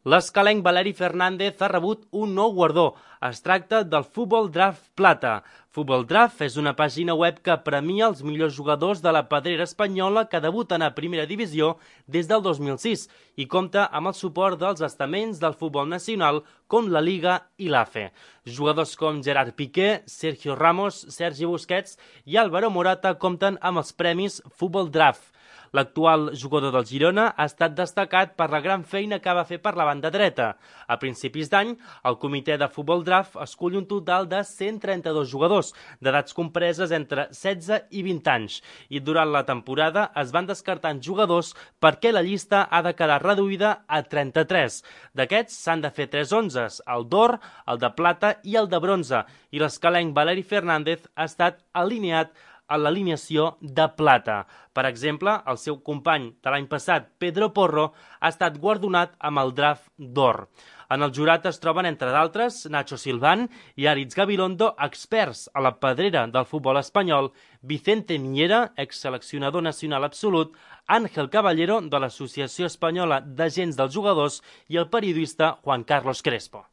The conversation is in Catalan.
L'escalenc Valeri Fernández ha rebut un nou guardó. Es tracta del Futbol Draft Plata. Futbol Draft és una pàgina web que premia els millors jugadors de la pedrera espanyola que debuten a primera divisió des del 2006 i compta amb el suport dels estaments del futbol nacional com la Liga i l'AFE. Jugadors com Gerard Piqué, Sergio Ramos, Sergi Busquets i Álvaro Morata compten amb els premis Futbol Draft. L'actual jugador del Girona ha estat destacat per la gran feina que va fer per la banda dreta. A principis d'any, el comitè de Futbol Draft escull un total de 132 jugadors, d'edats compreses entre 16 i 20 anys, i durant la temporada es van descartant jugadors perquè la llista ha de quedar reduïda a 33. D'aquests s'han de fer 3 onzes, el d'or, el de plata i el de bronze, i l'escalenc Valeri Fernández ha estat alineat a l'alineació de plata. Per exemple, el seu company de l'any passat, Pedro Porro, ha estat guardonat amb el draft d'or. En el jurat es troben, entre d'altres, Nacho Silván i Aritz Gabilondo, experts a la pedrera del futbol espanyol, Vicente Miñera, exseleccionador nacional absolut, Ángel Caballero, de l'Associació Espanyola d'Agents dels Jugadors, i el periodista Juan Carlos Crespo.